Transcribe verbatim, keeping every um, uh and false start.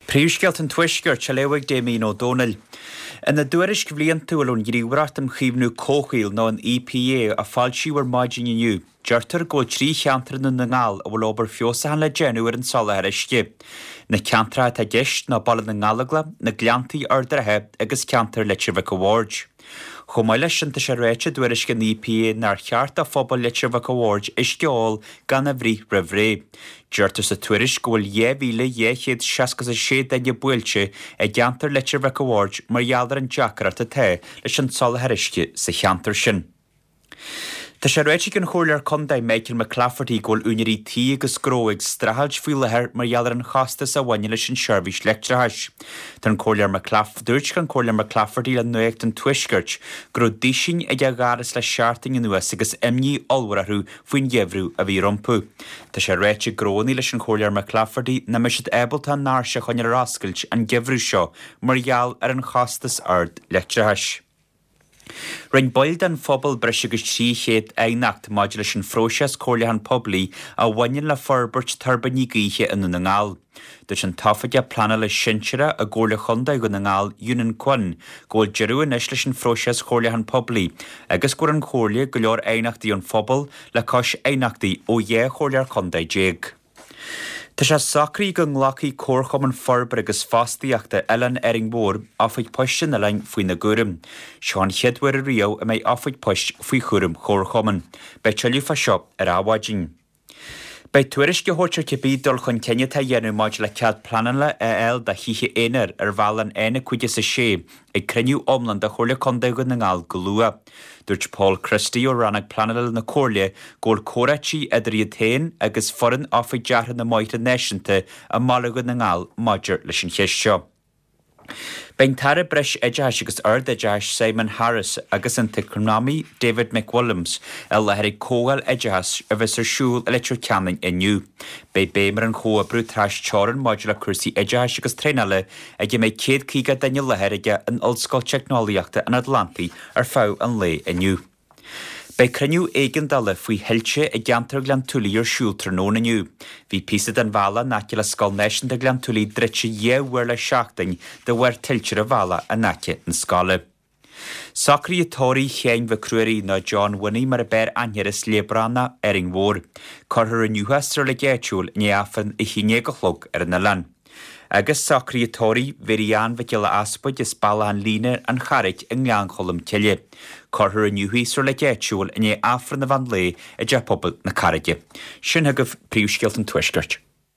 Príomhscéalta an Tuaiscirt á léamh ag Damien Ó Dónaill. Ina dtuairisc bhliantúil ón Ghníomhaireacht um Chaomhnú Comhshaoil nó an EPA a foilsíodh ar maidin inniu, deirtear go bhfuil trí cheantar i nDún na nGall a bhfuil obair feabhsúcháin le déanamh ar an soláthar uisce. Na ceantracha atá i gceist ná Baile na nGallóglach, na Gleanntaí Ard an Rátha agus ceantar Leitir Mhic a' Bhaird. Chomh maith leis sin tá sé ráite i dtuairisc an EPA nár cheart do phobal Leitir Mhic a' Bhaird uisce a ól gan a bhruith roimh ré. Deirtear sa tuairisc go bhfuil dhá mhíle dhá chéad seasca sé duine buailte i gceantar Leitir Mhic a' Bhaird mar gheall ar an deacracht atá leis an soláthar uisce sa cheantar sin. Tá sé ráite ag an Chomhairleoir Contae Michael McClafferty go bhfuil úinéirí tí agus gnó ag streachailt faoi láthair mar gheall ar an chostas a bhaineann leis an seirbhís leictreachais. Tá an Comhairleoir McClaff dúirt an Comhairleoir McClafferty le Nuacht an Tuaiscirt go raibh duisín ag a dhoras le seachtain anuas agus imní ollmhór orthu faoin gheimhreadh a bhí rompu. Tá sé ráite ag gnónna leis an Chomhairleoir McClafferty nach mbeidh siad ábalta a ndoirse a choinneáil ar oscailt an geimhreadh seo mar gheall ar an chostas ard leictreachais. Rinne baill den phobal breis agus trí chéad aighneacht maidir leis an phróiseas comhairliúchán poiblí a bhaineann le forbairt tuirbíní gaoithe i nDún na nGall. Dúirt an t-oifigeach pleanála sinsearach i gComhairle Chontae Dhún na nGall Eunan Quinn go bhfuil deireadh anois leis an phróiseas comhairliúchán poiblí agus go bhfuair an Chomhairle go leor aighneachtaí ón phobal le cois aighneachtaí ó dhá chomhairleoir contae déag. Tá sé socraithe go nglacfaidh Comharchumann Forbartha agus Fostaíochta Oileán Árainn Mhór oifig poist an oileáin faoina gcúram. Seo an chéad uair riamh a mbeidh oifig poist faoi chúram Chomharchumann. Beidh tuilleadh fá seo ar Adhmhaidin. Beidh tuairisc á thabhairt ar cibé dul chun cinn atá á dhéanamh maidir le cead pleanála a fháil do thithe aonair ar bhealach an N cúig is a sé ag cruinniú iomlán de Chomhairle Contae Dhún na nGall go luath. Dúirt Paul Christie ó rannóg pleanála na Comhairle go bhfuil comhráití idir iad féin agus foireann Oifig Deartha na mBóithre Náisiúnta i mBaile Dhún na nGall maidir leis an cheist seo. Beidh an tAire Breis Oideachais agus Ard-Oideachais Simon Harris agus an t-eacnamaí David McWilliams i láthair ag comhdháil oideachais a bheas ar siúl i Leitir Ceanainn inniu. Beidh béim ar an chomhoibriú trasteorann maidir le cúrsaí oideachais agus traenála ag a mbeidh céad caoga duine i láthair aige in Ollscoil Teicneolaíochta an Atlantaigh ar feadh an lae inniu. Beidh cruinniú éigeandála faoi thuilte i gceantar Ghleann tSúilí ar siúl tráthnóna inniu. Bhí píosa den bhealach in aice le Scoil Náisiúnta Ghleann tSúilí druidte dhá uair le seachtain de bharr tuilte ar an bhealach in aice na scoile. Socruithe tórraimh Sheáin Mhic Ruairí nó John Winnie mar a b'fhearr aithne air as Léabránach, Árainn Mhór. Cuirfear inniu é sa reilig áitiúil i ndiaidh Aifreann a haon déag a chlog ar an oileán. Agus socruithe tórraimh Mhary Ann Mhic Giolla Easpaig as Bealach an Líne an Charraic i nGleann Cholm Cille. Cuirfear inniu í sa reilig áitiúil i ndiaidh Aifreann an mheán lae i dTeach Pobail na Carraige. Sin chugaibh príomhscéalta an Tuaiscirt.